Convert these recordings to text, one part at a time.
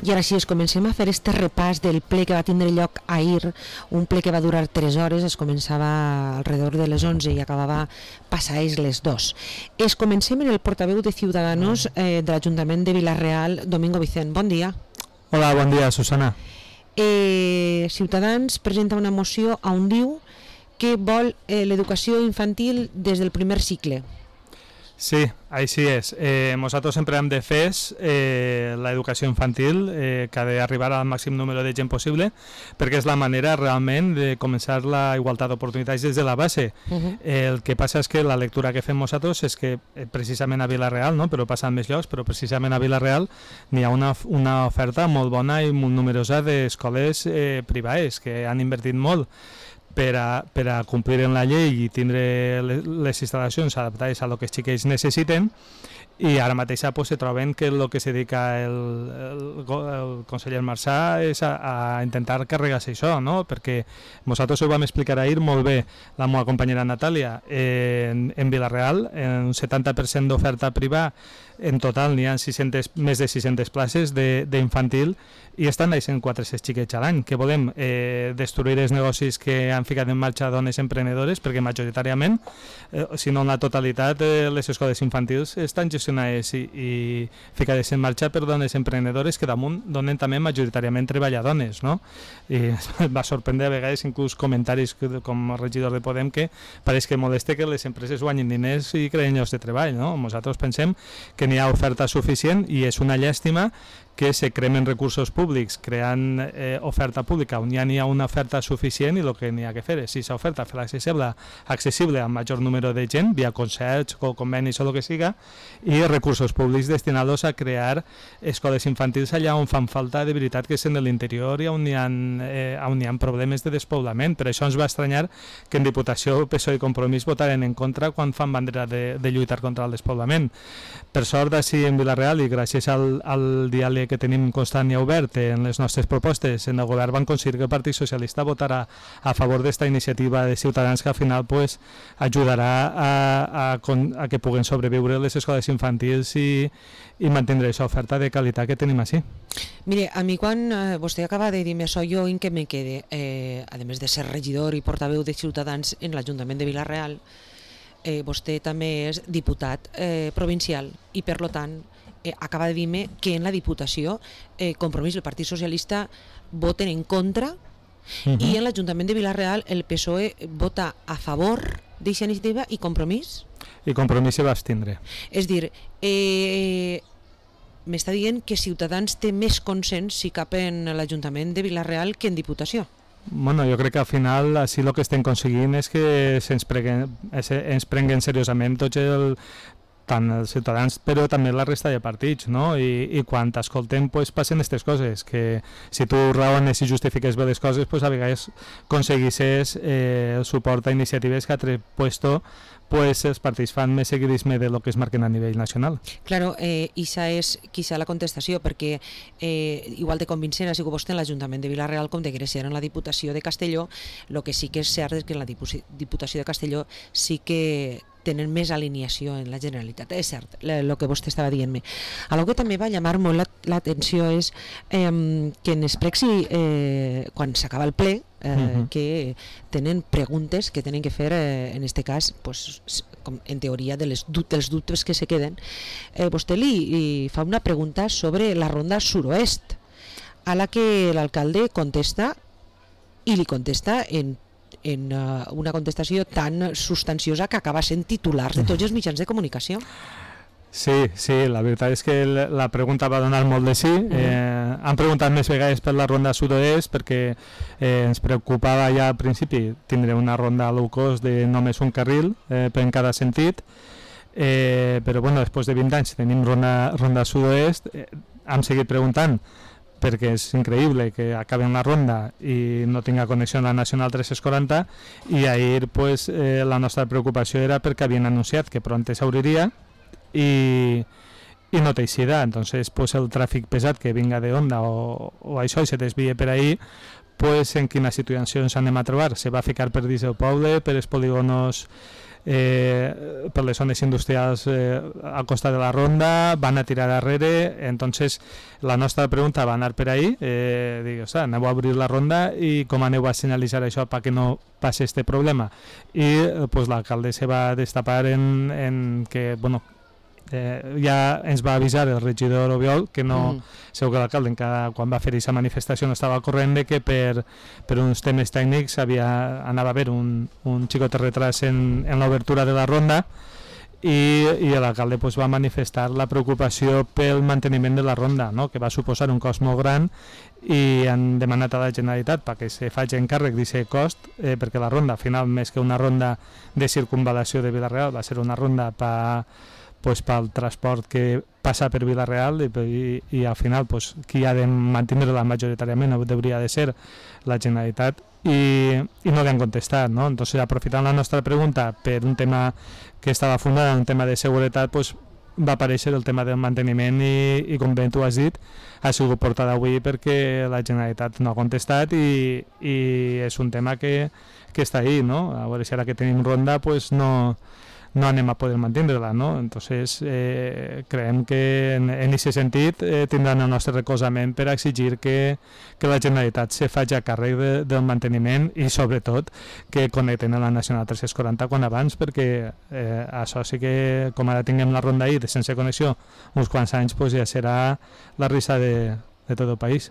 I ara sí, comencem a fer este repàs del ple que va tindre lloc ahir, un ple que va durar 3 hores, es començava alrededor de les 11 i acabava passades les 2. Comencem en el portaveu de Ciudadanos de l'Ajuntament de Vila-real, Domingo Vicent. Bon dia. Hola, bon dia, Susana. Ciutadans presenta una moció on diu que vol l'educació infantil des del primer cicle. Sí, així és. Nosaltres sempre hem defès l'educació infantil, que ha d'arribar al màxim número de gent possible, perquè és la manera realment de començar la igualtat d'oportunitats des de la base. El que passa és que la lectura que fem nosaltres és que precisament a Vila-real, no? Però passa en més llocs, però precisament a Vila-real n'hi ha una oferta molt bona i molt numerosa d'escoles privades que han invertit molt per a complir en la llei i tindre les instal·lacions adaptades a lo que els xiquets necessiten, i ara mateix se troben que el que se dedica el conseller Marsà és a intentar carregar-se això, no? Perquè nosaltres ho vam explicar ahir molt bé, la meva companyera Natàlia, en Vila-real, en un 70% d'oferta privada, en total n'hi ha més de 600 places d'infantil i estan naixent 400 xiquets a l'any. Que volem destruir els negocis que han ficat en marxa dones emprenedores, perquè majoritàriament, si no en la totalitat, les escoles infantils estan gestionades i ficades en marxa per dones emprenedores que damunt donen també majoritàriament treball a dones, no? I va sorprendre a vegades inclús comentaris com a regidor de Podem que pareix que molesta que les empreses guanyin diners i creen llocs de treball, no? Nosaltres pensem que n'hi ha oferta suficient i és una llàstima que se cremen recursos públics creant oferta pública on ja n'hi ha una oferta suficient, i el que n'hi ha que fer és, si s'oferta, fer-la accessible al major número de gent, via concerts o convenis o el que siga, i recursos públics destinats a crear escoles infantils allà on fan falta de veritat, que és en l'interior i on hi ha problemes de despoblament. Per això ens va estranyar que en Diputació, PSOE i Compromís votaren en contra quan fan bandera de lluitar contra el despoblament. Per sort, així en Vila-real, i gràcies al diàleg que tenim constant i obert en les nostres propostes en el govern, van aconseguir que el Partit Socialista votarà a favor d'esta iniciativa de Ciutadans, que al final ajudarà a que puguen sobreviure les escoles infantils i mantindre aquesta oferta de qualitat que tenim així. Mire, a mi quan vostè acaba de dir-me això, jo en què me quede, a més de ser regidor i portaveu de Ciutadans en l'Ajuntament de Vila-real, vostè també és diputat provincial i per tant acaba de dir-me que en la Diputació Compromís i el Partit Socialista voten en contra i en l'Ajuntament de Vila-real el PSOE vota a favor d'aquesta iniciativa i Compromís? I Compromís se va abstindre. És dir, m'està dient que Ciutadans té més consens si cap en l'Ajuntament de Vila-real que en Diputació. Bueno, jo crec que al final així el que estem aconseguint és que ens prenguen seriosament tant els ciutadans però també la resta de partits, no? I quan t'escoltem passen aquestes coses, que si tu raones i justifiques bé les coses, a vegades aconseguisses el suport a iniciatives que a altre puesto els partits fan més seguidisme de lo que es marquen a nivell nacional. Claro, ixa és quizá la contestació, perquè igual de convincent ha sigut vostè en l'Ajuntament de Vila-real com de Gràcia en la Diputació de Castelló. El que sí que és cert és que en la Diputació de Castelló sí que tenen més alineació en la Generalitat. És cert, el que vostè estava dient-me. El que també va llamar molt l'atenció és que en Esprexi, quan s'acaba el ple, que tenen preguntes que tenen que fer, en aquest cas, en teoria, dels dubtes que se queden. Vostè li fa una pregunta sobre la ronda suroest, a la que l'alcalde contesta, i li contesta en una contestació tan substanciosa que acaba sent titular de tots els mitjans de comunicació. Sí, la veritat és que la pregunta va donar molt de sí. Han preguntat més vegades per la ronda sud-oest perquè ens preocupava ja al principi tindre una ronda low cost de només un carril en cada sentit, però després de 20 anys tenim ronda sud-oest. Hem seguit preguntant perquè és increïble que acaben la ronda i no tinga connexió amb la Nacional 340, i ahir la nostra preocupació era perquè havien anunciat que pront s'obriria i no té eixida. Entonces el tràfic pesat que vinga de Onda o això i se desvia per ahí, en quina situació ens anem a trobar? Se va ficar per dins el poble, per els polígonos per les zones industrials al costat de la ronda, van a tirar darrere. Entonces la nostra pregunta va anar per ahí, dic, aneu a obrir la ronda i com aneu a senyalitzar això perquè no passi este problema. I pues, l'alcalde se va destapar en que, bueno, ja ens va avisar el regidor Obiol que no, segur que l'alcalde quan va fer aquesta manifestació no estava al corrent de que per uns temes tècnics anava a haver un xicot de retras en l'obertura de la ronda i l'alcalde pues, va manifestar la preocupació pel manteniment de la ronda, no? Que va suposar un cost molt gran i han demanat a la Generalitat perquè se faci encàrrec d'aquest cost perquè la ronda, al final, més que una ronda de circunvalació de Vila-real, va ser una ronda pel transport que passa per Vila-real i al final pues, qui ha de mantenir-la majoritàriament hauria de ser la Generalitat i no li han contestat, no? Entonces, aprofitant la nostra pregunta per un tema que estava fundat en un tema de seguretat, pues, va aparèixer el tema del manteniment i com bé tu has dit, ha sigut portat avui perquè la Generalitat no ha contestat i és un tema que està ahí, no? A veure si ara que tenim ronda pues, no anem a poder mantenir-la, no? Entonces, creiem que en aquest sentit tindran el nostre recolzament per exigir que la Generalitat se faci a càrrec del manteniment i sobretot que connecten a la Nacional 340 quan abans, perquè això sí que com ara tinguem la ronda ahí de sense connexió uns quants anys pues, ja serà la risa de tot el país.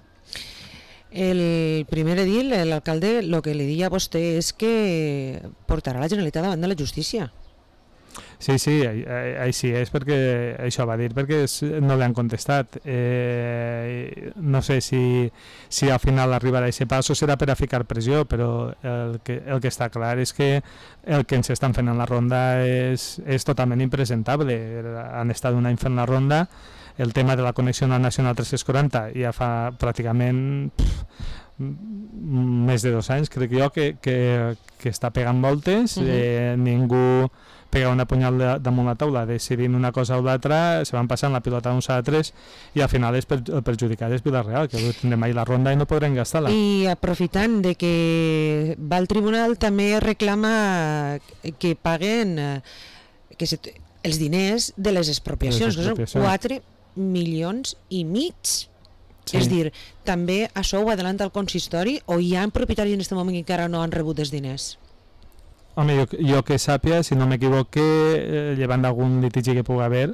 El primer edil, l'alcalde, el que li deia a vostè és que portarà la Generalitat davant de la justícia. Sí, així és perquè això va dir perquè no li han contestat. No sé si al final arribarà a aquest pas o serà per a ficar pressió, però el que està clar és que el que ens estan fent en la ronda és totalment impresentable. Han estat un any fent la ronda, el tema de la connexió a la Nacional 340 ja fa pràcticament més de 2 anys, crec jo, que està pegant voltes, ningú pega una punyal damunt la taula decidint una cosa o l'altra, se van passant la pilota d'uns a altres i al final el perjudicat és Vila-real, que tindrem ahir la ronda i no podrem gastar-la. I aprofitant de que va al tribunal també reclama que paguen els diners de les expropiacions, que són 4,5 milions. Sí. És dir, també això ho adelanta el consistori o hi ha propietaris en aquest moment que encara no han rebut els diners? Home, jo que sàpia, si no m'equivoque, llevant d'algun litigi que pugui haver,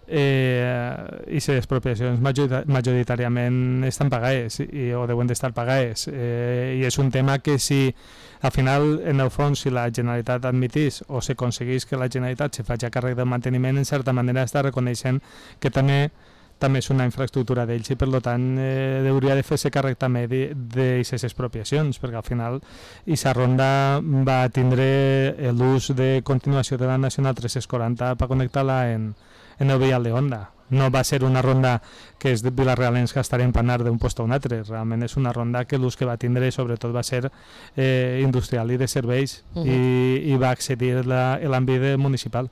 i les expropiacions majoritàriament estan pagades o deuen d'estar pagades. I és un tema que si al final, en el fons, si la Generalitat admitís o s'aconseguís que la Generalitat se faci a càrrec del manteniment, en certa manera està reconeixent que també és una infraestructura d'ells i per tant hauria de fer-se càrrec també d'aquestes expropiacions, perquè al final aquesta ronda va tindre l'ús de continuació de la Nacional 340 per connectar-la en el vial de Onda. No va ser una ronda que és de vilarrealens que estarem per anar d'un lloc a un altre, realment és una ronda que l'ús que va tindre sobretot va ser industrial i de serveis i va accedir l'àmbit municipal.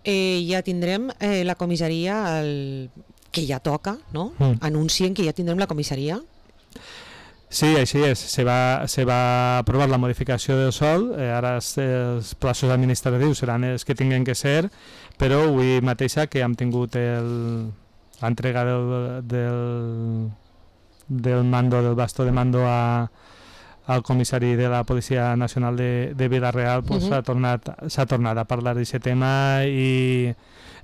Ja tindrem la comissaria que ja toca, no? Anuncien que ja tindrem la comissaria. Sí, així és. Se va aprovar la modificació del sòl, ara els plaços administratius seran els que tinguen que ser, però avui mateixa que hem tingut l'entrega del mando, del bastó de mando al comissari de la Policia Nacional de Vila-real, s'ha tornat a parlar d'aquest tema i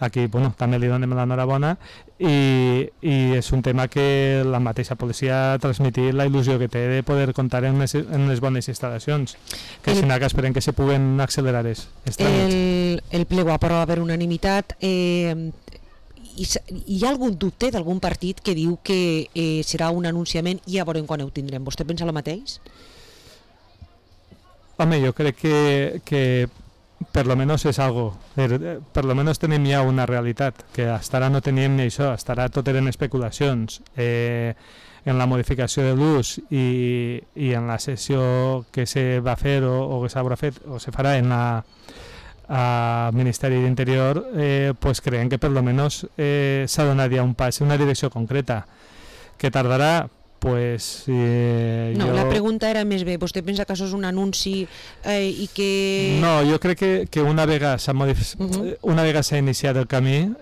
aquí també li donem l'enhorabona i és un tema que la mateixa policia ha transmitit la il·lusió que té de poder comptar en les bones instal·lacions, que si no que esperem que se puguen accelerar els tràmits. El ple va aprovar per unanimitat. Hi ha algun dubte d'algun partit que diu que serà un anunciament i ja veurem quan ho tindrem? Vostè pensa el mateix? Home, jo crec que per lo menos és algo, per lo menos tenim ja una realitat, que hasta ara no teníem ni això, hasta ara tot eren especulacions. En la modificació de l'ús i en la sessió que se va fer o que s'haurà fet o se farà en al Ministeri d'Interior, pues creiem que per lo menos s'ha donat ja un pas en una direcció concreta, que tardarà pues no, jo... la pregunta era més bé, vostè pensa que això és un anunci i que... No, jo crec que una vegada s'ha iniciat el camí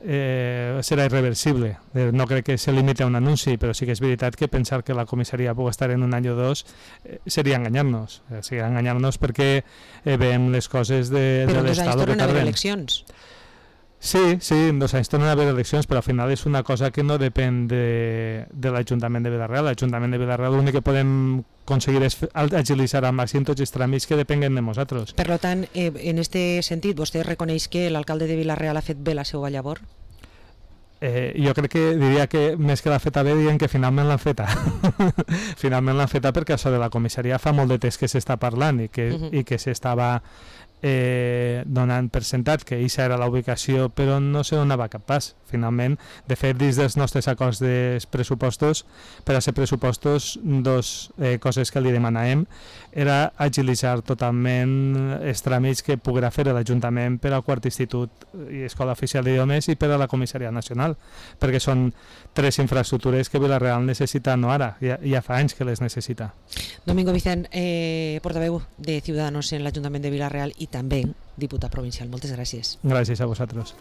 serà irreversible. No crec que se limite a un anunci, però sí que és veritat que pensar que la comissaria pugui estar en un any o dos seria enganyar-nos. Seria enganyar-nos perquè veiem les coses de però l'Estat. Però 2 anys tornen a haver eleccions. Sí, en 2 anys tornen a haver eleccions, però al final és una cosa que no depèn de l'Ajuntament de Vila-real. L'Ajuntament de Vila-real l'únic que podem aconseguir és agilitzar al màxim tots els tràmits que depenguen de nosaltres. Per tant, en aquest sentit, vostè reconeix que l'alcalde de Vila-real ha fet bé la seva llavor? Jo crec que diria que més que l'ha feta bé diuen que finalment l'han feta. Finalment l'han feta perquè això de la comissaria fa molt de temps que s'està parlant i que s'estava donant per sentat que aquesta era la ubicació, però no se donava cap pas. Finalment, de fet, dins dels nostres acords dels pressupostos, per a ser pressupostos, dos coses que li demanàvem era agilitzar totalment els tràmits que poguera fer l'Ajuntament per al quart institut i escola oficial d'idiomes i per a la comissaria nacional, perquè són 3 infraestructures que Vila-real necessita, no ara, ja fa anys que les necessita. Domingo Vicent, portaveu de Ciudadanos en l'Ajuntament de Vila-real i també diputat provincial. Moltes gràcies. Gràcies a vosaltres.